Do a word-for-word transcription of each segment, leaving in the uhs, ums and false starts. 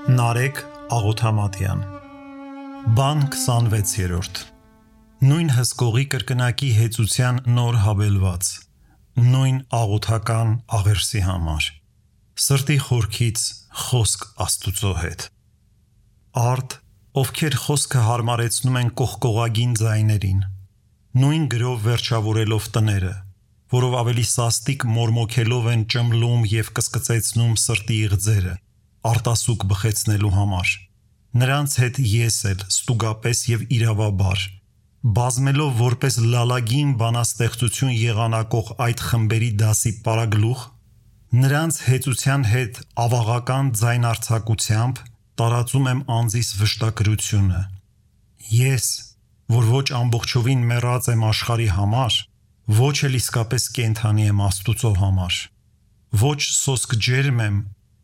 Նարեկ Աղոթամատյան Բան քսանվեցերորդ Նույն հսկողի կրկնակի հեծության նոր հավելված Նույն աղոթական աղերսի համար Սրտի խորքից խոսք Աստուծո հետ Արդ, ովքեր խոսքը հարմարեցնում են կողկողագին ձայներին Նույն գրով վերջավորելով տները Որով ավելի սաստիկ մորմոքելով են ճմլում և կսկծեցնում սրտի իղձերը Արտասուք բխեցնելու համար Նրանց հետ ես էլ ստուգապես և իրավաբար Բազմելով որպես լալագին բանաստեղծություն եղանակող այդ խմբերի դասի պարագլուխ Նրանց հեծության հետ ավաղական ձայնարձակությամբ տարածում եմ անձիս վշտակրությունը Ես, որ ոչ ամբողջովին մեռած եմ աշխարհի համար Ոչ էլ իսկապես կենդանի եմ Աստուծո համար Ոչ սոսկ ջերմ եմ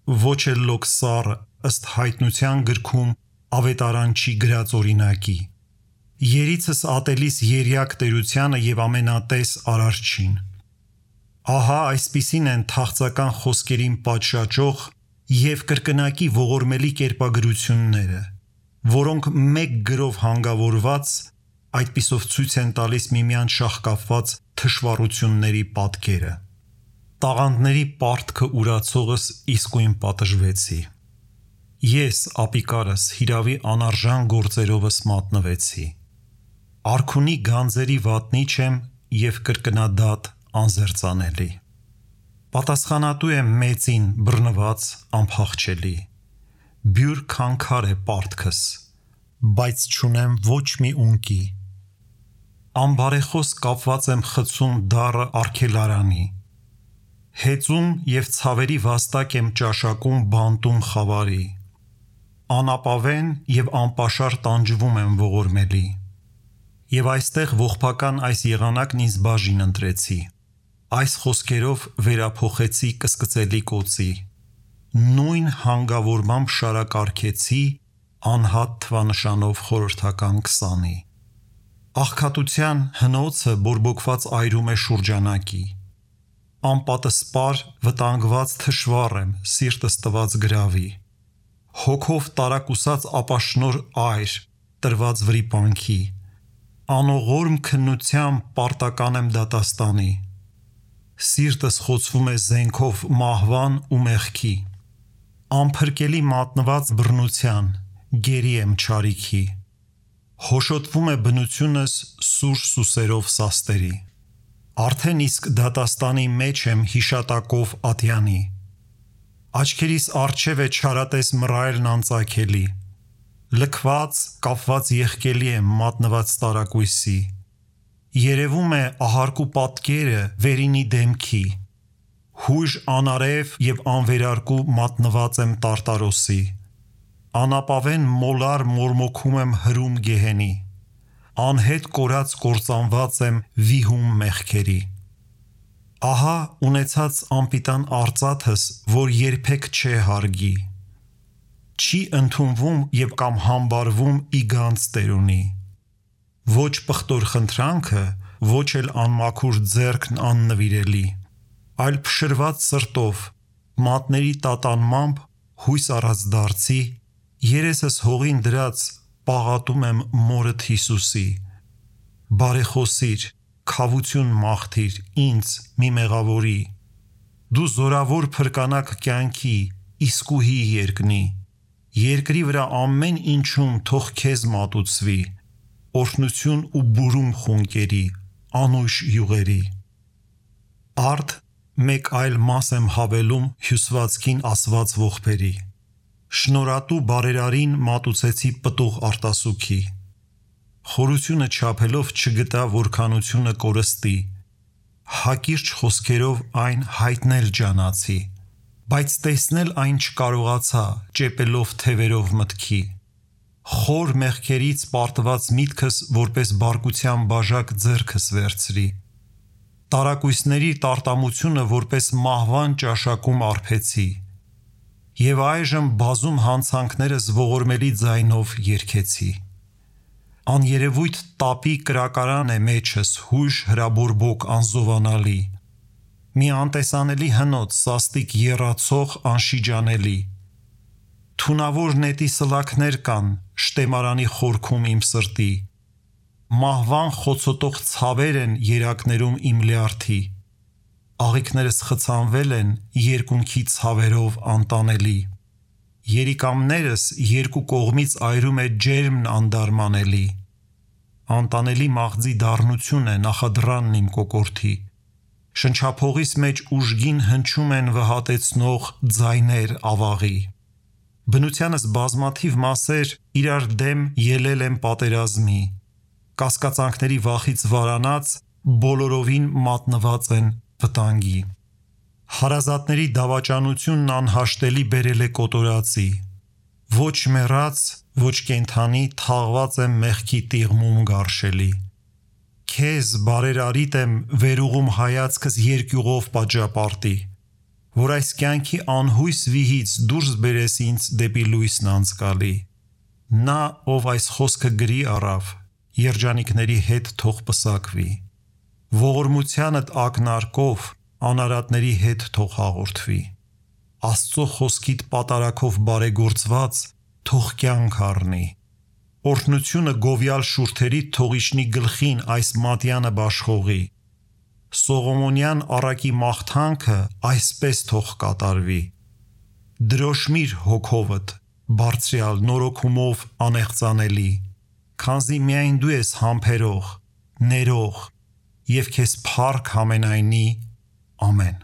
Ոչ էլ լոկ սառը ըստ հայտնության գրքում ավետարանչի գրած օրինակի Երիցս ատելիս երյակ տերությանը և ամենատես արարչին Ահա այսպիսին են թախծական խոսքերին պատշաճող և կրկնակի ողորմելի կերպագրությունները Որոնք մեկ գրով հանգավորված այդպիսով ցույց են տալիս միմյանց շաղկապված թշվառությունների պատկերը Տաղանդների պարտքը ուրացողս իսկույն պատժվեցի Ես ապիկարս հիրավի անարժան գործերովս մատնվեցի Արքունի գանձերի վատնիչ եմ և կրկնադատ անզերծանելի Պատասխանատու եմ մեծին բռնված անփախչելի Բյուր քանքար է պարտքս Բայց չունեմ ոչ մի ունկի Անբարեխոս կապված եմ խցում դառը արգելարանի Հեծում և ցավերի վաստակ եմ ճաշակում բանտում խավարի Անապավեն և անպաշար տանջվում եմ ողորմելի Եվ այստեղ ողբական այս եղանակն ինձ բաժին ընտրեցի Այս խոսքերով վերափոխեցի կսկծելի կոծի Նույն հանգավորմամբ շարակարգեցի Անհատ թվանշանով խորհրդական քսանի Աղքատության հնոցը բորբոքված այրում է շուրջանակի Անպատսպար, վտանգված թշվառ եմ, սիրտս տված գրավի Հոգով տարակուսած ապաշնոր այր, տրված վրիպանքի Անողորմ քննությամբ պարտական եմ դատաստանի Սիրտս խոցվում է զենքով մահվան ու մեղքի Անփրկելի մատնված բռնության, գերի եմ չարիքի Հոշոտվում է բնությունս սուր սուսերով սաստերի Արդեն իսկ դատաստանի մեջ եմ հիշատակով ատյանի Աչքերիս առջև է չարատես մռայլն անծագելի Լքված, կապված եղկելի եմ մատնված տարակույսի Երևում է ահարկու պատկերը վերինի դեմքի Հույժ անարև և անվերարկու մատնված եմ տարտարոսի Անապավեն մոլար մորմոքում եմ հրում գեհենի Անհետ կորած կործանված եմ վիհում մեղքերի Ահա ունեցած անպիտան արծաթս, որ երբեք չէ հարգի Չի ընդունվում և կամ համբարվում ի գանձ տերունի Ոչ պղտոր խնդրանքը, ոչ էլ անմաքուր ձեռքն աննվիրելի Այլ փշրված սրտով, մատների տատանմամբ, հույս առած դարձի Երեսս հողին դրած պաղատում եմ մորդ Հիսուսի Բարեխոսիր, քավություն մաղթիր ինձ մի մեղավորի Դու զորավոր փրկանակ կյանքի, իսկուհի երկնի Երկրի վրա ամեն ինչում թող քեզ մատուցվի Օրհնություն ու բուրում խունկերի, անուշ յուղերի Արդ մեկ այլ մաս եմ հավելում հյուսվածքին ասված ողբերի Շնորհատու բարերարին մատուցեցի պտուղ արտասուքի Խորությունը չափելով չգտա որքանությունը կորստի Հակիրճ խոսքերով այն հայտնել ջանացի Բայց տեսնել այն չկարողացա ճեպելով թևերով մտքի Խոր մեղքերից պարտված միտքս որպես բարկության բաժակ ձեռքս վերցրի Տարակույսների տարտամությունը որպես մահվան ճաշակում արբեցի Եվ այժմ բազում հանցանքներս ողորմելի ձայնով երգեցի Աներևույթ տապի կրակարան է մեջս հույժ հրաբորբոք անզովանալի Մի անտեսանելի հնոց սաստիկ եռացող անշիջանելի Թունավոր նետի սլաքներ կան շտեմարանի խորքում իմ սրտի, մահվան խոցոտող ցավեր են երակներում իմ լյարդի, աղիքներս խցանվել են երկունքի ցավերով անտանելի, երիկամներս երկու կողմից այրում է ջերմն անդարմանելի, անտանելի մաղձի դառնություն է նախադրանն իմ կոկորդի, շնչափողիս մեջ ուժգին հնչում են վհատեցնող ձայներ ավաղի, բնությանս բազմաթիվ մասեր իրար դեմ ելել են պատերազմի, կասկածանքների վախից վարանած բոլորովին մատնված են վտանգի, հարազատների դավաճանությունն անհաշտելի բերել է կոտորածի, ոչ մեռած, ոչ կենդանի թաղված եմ մեղքի տիղմում գարշելի, քեզ բարերարիտ եմ վերուղում հայացքս երկյուղով պատժապարտի, որ այս կյանքի անհույս վիհից դուրս բերես ինձ դեպի լույսն անցկալի, նա ով այս խոսքը գրի առավ, երջանիկների հետ թող պսակվի, ողորմությանդ ակնարկով անարատների հետ թող հաղորդվի, Աստծո խոսքիդ պատարակով բարեգործված թող կյանք առնի, օրհնությունը գովյալ շուրթերի թող իջնի գլխին այս մատյանը բաշխողի, Սողոմոնյան առակի մաղթանքը այսպես թող կատարվի, դրոշմիր հոգովդ բարձրյալ նորոգումով անեղծանելի, քանզի միայն դու ես համբերող, ներող և քեզ փառք համենայնի, ամեն։